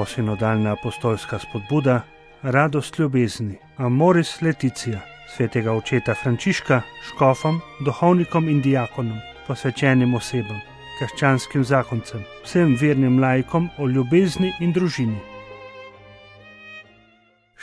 novosinodalna apostolska spodbuda, radost ljubezni, Amoris Laetitia, svetega očeta Frančiška, škofom, duhovnikom in diakonom, posvečenim osebam, krščanskim zakoncem, vsem vernim laikom o ljubezni in družini.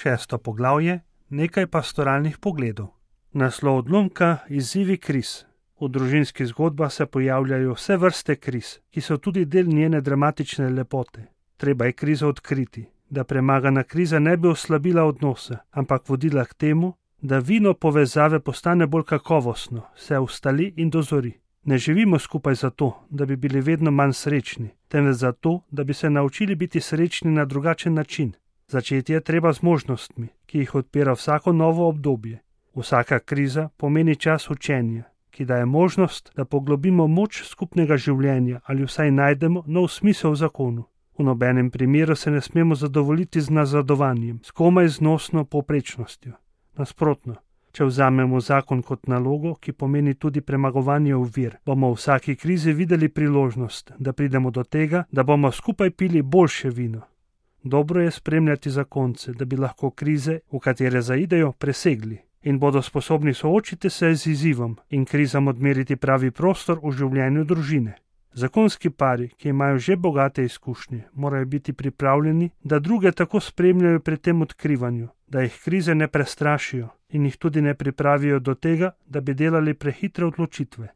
6. poglavje, nekaj pastoralnih pogledov. Naslov odlomka: izzivi kriz. V družinskih zgodbah se pojavljajo vse vrste kriz, ki so tudi del njene dramatične lepote. Treba je krizo odkriti, da premagana kriza ne bi oslabila odnose, ampak vodila k temu, da vino povezave postane bolj kakovostno, se ustali in dozori. Ne živimo skupaj zato, da bi bili vedno manj srečni, temveč zato, da bi se naučili biti srečni na drugačen način. Začeti je treba z možnostmi, ki jih odpira vsako novo obdobje. Vsaka kriza pomeni čas učenja, ki daje možnost, da poglobimo moč skupnega življenja ali vsaj najdemo nov smisel v zakonu. V nobenem primeru se ne smemo zadovoljiti z nazadovanjem, s komaj znosno povprečnostjo. Nasprotno, če vzamemo zakon kot nalogo, ki pomeni tudi premagovanje ovir, bomo v vsaki krizi videli priložnost, da pridemo do tega, da bomo skupaj pili boljše vino. Dobro je spremljati zakonce, da bi lahko krize, v katere zaidejo, presegli in bodo sposobni soočiti se z izzivom in krizam odmeriti pravi prostor v življenju družine. Zakonski pari, ki imajo že bogate izkušnje, morajo biti pripravljeni, da druge tako spremljajo pri tem odkrivanju, da jih krize ne prestrašijo in jih tudi ne pripravijo do tega, da bi delali prehitre odločitve.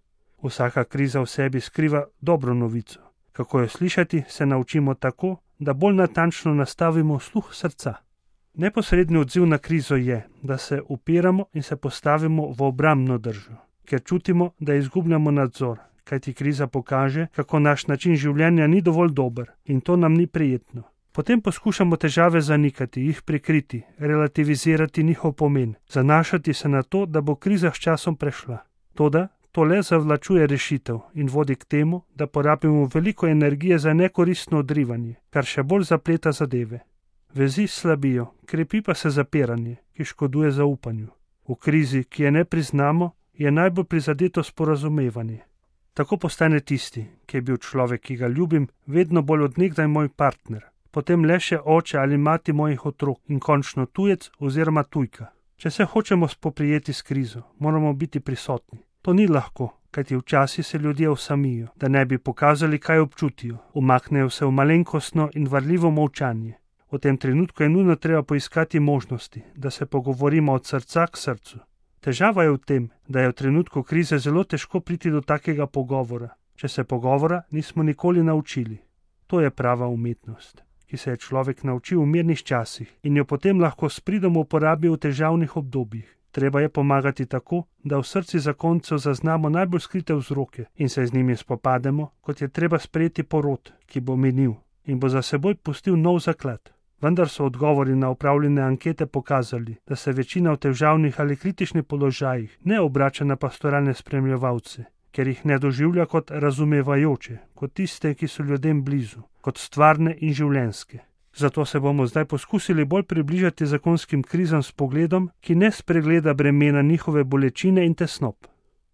Vsaka kriza v sebi skriva dobro novico. Kako jo slišati, se naučimo tako, da bolj natančno nastavimo sluh srca. Neposredni odziv na krizo je, da se upiramo in se postavimo v obrambno držo, ker čutimo, da izgubljamo nadzor, kajti kriza pokaže, kako naš način življenja ni dovolj dober in to nam ni prijetno. Potem poskušamo težave zanikati, jih prikriti, relativizirati njihov pomen, zanašati se na to, da bo kriza s časom prešla. Toda to le zavlačuje rešitev in vodi k temu, da porabimo veliko energije za nekoristno odrivanje, kar še bolj zapleta zadeve. Vezi slabijo, krepi pa se zapiranje, ki škoduje zaupanju. V krizi, ki je ne priznamo, je najbolj prizadeto sporazumevanje. Tako postane tisti, ki je bil človek, ki ga ljubim, vedno bolj od nekdaj moj partner, potem le še oče ali mati mojih otrok in končno tujec oziroma tujka. Če se hočemo spoprijeti s krizo, moramo biti prisotni. To ni lahko, kajti včasih se ljudje osamijo, da ne bi pokazali, kaj občutijo, umaknejo se v malenkostno in varljivo molčanje. V tem trenutku je nujno treba poiskati možnosti, da se pogovorimo od srca k srcu. Težava je v tem, da je v trenutku krize zelo težko priti do takega pogovora, če se pogovora nismo nikoli naučili. To je prava umetnost, ki se je človek naučil v mirnih časih in jo potem lahko s pridom uporabi v težavnih obdobjih. Treba je pomagati tako, da v srci zakoncev zaznamo najbolj skrite vzroke in se z njimi spopademo, kot je treba sprejeti porod, ki bo minil in bo za seboj pustil nov zaklad. Vendar so odgovori na opravljene ankete pokazali, da se večina v težavnih ali kritičnih položajih ne obrača na pastoralne spremljevalce, ker jih ne doživlja kot razumevajoče, kot tiste, ki so ljudem blizu, kot stvarne in življenjske. Zato se bomo zdaj poskusili bolj približati zakonskim krizam s pogledom, ki ne spregleda bremena njihove bolečine in tesnob.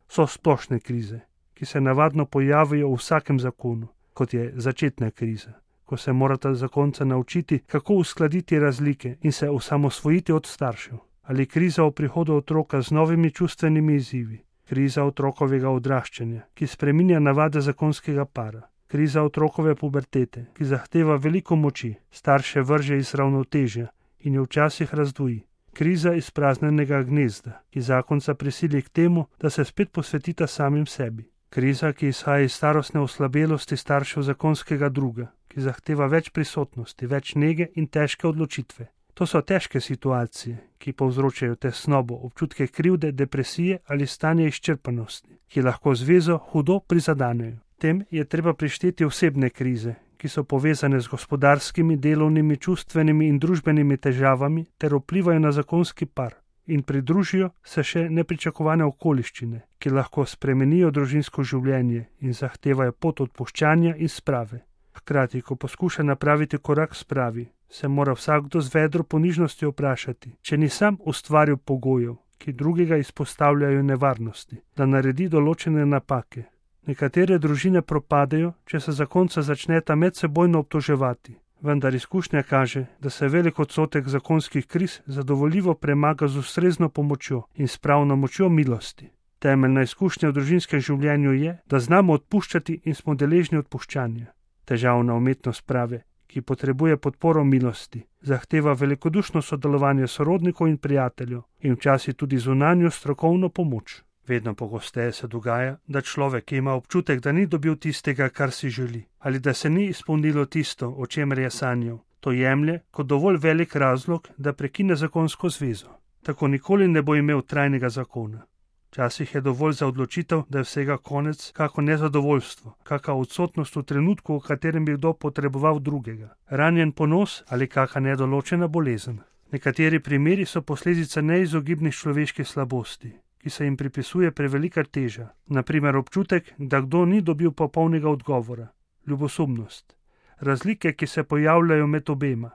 So splošne krize, ki se navadno pojavijo v vsakem zakonu, kot je začetna kriza, ko se morata zakonca naučiti, kako uskladiti razlike in se osamosvojiti od staršev. Ali kriza o prihodu otroka z novimi čustvenimi izzivi, kriza otrokovega odraščanja, ki spreminja navade zakonskega para. Kriza otrokove pubertete, ki zahteva veliko moči, starše vrže iz ravnotežja in jo včasih razdvoji. Kriza izpraznjenega gnezda, ki zakonca prisili k temu, da se spet posvetita samim sebi. Kriza, ki izhaja iz starostne oslabelosti staršev zakonskega druga, ki zahteva več prisotnosti, več nege in težke odločitve. To so težke situacije, ki povzročajo tesnobo, občutke krivde, depresije ali stanje izčrpanosti, ki lahko zvezo hudo prizadanejo. Tem je treba prišteti osebne krize, ki so povezane z gospodarskimi, delovnimi, čustvenimi in družbenimi težavami ter vplivajo na zakonski par in pridružijo se še nepričakovane okoliščine, ki lahko spremenijo družinsko življenje in zahtevajo pot odpuščanja in sprave. Hkrati, ko poskuša napraviti korak spravi, se mora vsakdo z vedro ponižnosti vprašati, če ni sam ustvaril pogojev, ki drugega izpostavljajo nevarnosti, da naredi določene napake. Nekatere družine propadajo, če se zakonca začneta medsebojno obtoževati. Vendar izkušnja kaže, da se velik odstotek zakonskih kriz zadovoljivo premaga z ustrezno pomočjo in s pravno močjo milosti. Temeljna izkušnja v družinskem življenju je, da znamo odpuščati in smo deležni odpuščanja. Težavna umetnost prave, ki potrebuje podporo milosti, zahteva velikodušno sodelovanje sorodnikov in prijateljev in včasih tudi zunanjo strokovno pomoč. Vedno pogosteje se dogaja, da človek, ki ima občutek, da ni dobil tistega, kar si želi, ali da se ni izpolnilo tisto, o čemer je sanjal, to jemlje kot dovolj velik razlog, da prekine zakonsko zvezo. Tako nikoli ne bo imel trajnega zakona. Včasih je dovolj za odločitev, da je vsega konec, kako nezadovoljstvo, kakšna odsotnost v trenutku, v katerem bi kdo potreboval drugega, ranjen ponos ali kakšna nedoločena bolezen. Nekateri primeri so posledica neizogibnih človeških slabosti, ki se jim pripisuje prevelika teža, naprimer občutek, da kdo ni dobil popolnega odgovora, ljubosumnost, razlike, ki se pojavljajo med obema,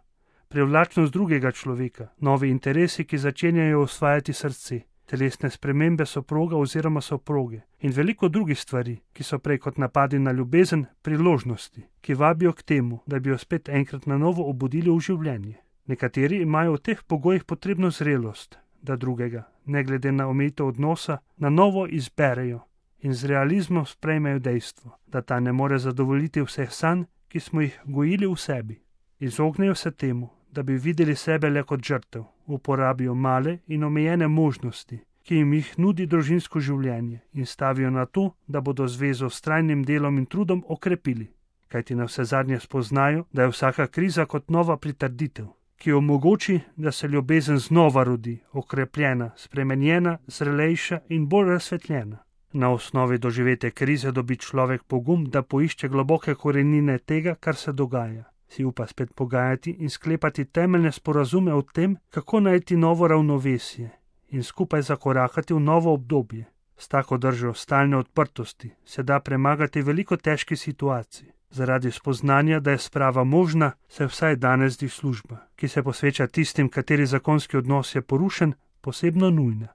privlačnost drugega človeka, novi interesi, ki začenjajo osvajati srce, telesne spremembe soproga oziroma soproge in veliko drugih stvari, ki so prej kot napadi na ljubezen, priložnosti, ki vabijo k temu, da bi jo spet enkrat na novo obudili v življenje. Nekateri imajo v teh pogojih potrebno zrelost, da drugega, ne glede na omejitev odnosa, na novo izberejo in z realizmom sprejmejo dejstvo, da ta ne more zadovoljiti vseh sanj, ki smo jih gojili v sebi. Izognejo se temu, da bi videli sebe le kot žrtev, uporabijo male in omejene možnosti, ki jim jih nudi družinsko življenje in stavijo na to, da bodo zvezo s trajnim delom in trudom okrepili, kajti navsezadnje spoznajo, da je vsaka kriza kot nova pritrditev, ki omogoči, da se ljubezen znova rodi, okrepljena, spremenjena, zrelejša in bolj razsvetljena. Na osnovi doživete krize dobi človek pogum, da poišče globoke korenine tega, kar se dogaja. Si upa spet pogajati in sklepati temeljne sporazume o tem, kako najti novo ravnovesje in skupaj zakorakati v novo obdobje. S tako držo stalne odprtosti se da premagati veliko težkih situacij. Zaradi spoznanja, da je sprava možna, se vsaj danes zdi služba, ki se posveča tistim, kateri zakonski odnos je porušen, posebno nujna.